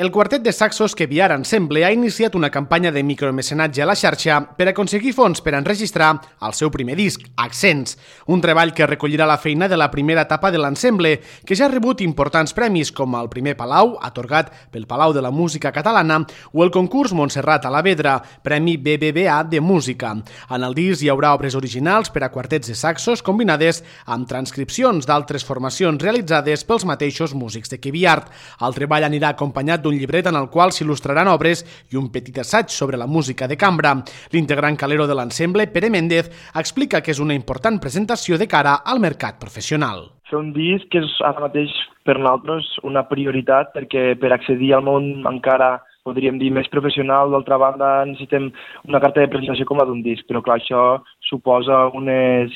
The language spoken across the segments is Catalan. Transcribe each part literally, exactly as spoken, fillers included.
El quartet de saxos Queviar Ensemble ha iniciat una campanya de micromecenatge a la xarxa per aconseguir fons per enregistrar el seu primer disc, Accents, un treball que recollirà la feina de la primera etapa de l'ensemble, que ja ha rebut importants premis com el primer Palau, atorgat pel Palau de la Música Catalana, o el concurs Montserrat a la Vedra, Premi B B V A de Música. En el disc hi haurà obres originals per a quartets de saxos combinades amb transcripcions d'altres formacions realitzades pels mateixos músics de Queviar. El treball anirà acompanyat d'un un llibret en el qual s'il·lustraran obres i un petit assaig sobre la música de cambra. L'integrant calero de l'ensemble, Pere Méndez, explica que és una important presentació de cara al mercat professional. Fer un disc és ara mateix per nosaltres una prioritat perquè per accedir al món encara podríem dir més professional, d'altra banda necessitem una carta de presentació com la d'un disc, però clar, això suposa unes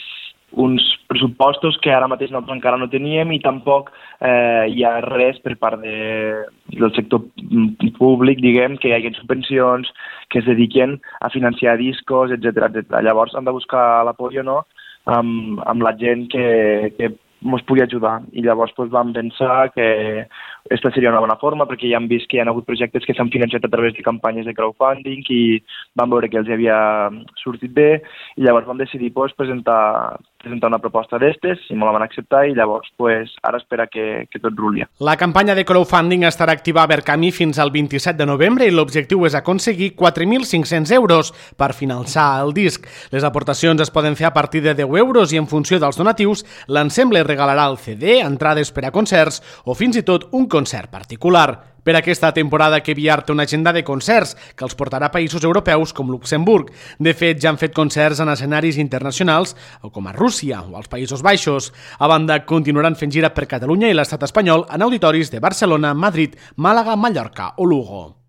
uns pressupostos que ara mateix nosaltres encara no teníem i tampoc eh, hi ha res per part de, del sector públic, diguem, que hi hagi subvencions que es dediquen a financiar discos, etcètera, etcètera. Llavors hem de buscar l'apoyo, no?, amb, amb la gent que, que ens pugui ajudar. I llavors doncs, vam pensar que aquesta seria una bona forma perquè ja hem vist que hi ha hagut projectes que s'han financiat a través de campanyes de crowdfunding i vam veure que els havia sortit bé i llavors vam decidir doncs, presentar presentar una proposta d'estes i me la van acceptar i llavors pues, ara espera que, que tot ruli. La campanya de crowdfunding estarà activa a Verkami fins al vint-i-set de novembre i l'objectiu és aconseguir quatre mil cinc-cents euros per finançar el disc. Les aportacions es poden fer a partir de deu euros i en funció dels donatius l'ensemble regalarà el C D, entrades per a concerts o fins i tot un concert particular. Per aquesta temporada Queviar té una agenda de concerts que els portarà a països europeus com Luxemburg. De fet, ja han fet concerts en escenaris internacionals com a Rússia o als Països Baixos. A banda, continuaran fent gira per Catalunya i l'estat espanyol en auditoris de Barcelona, Madrid, Màlaga, Mallorca o Lugo.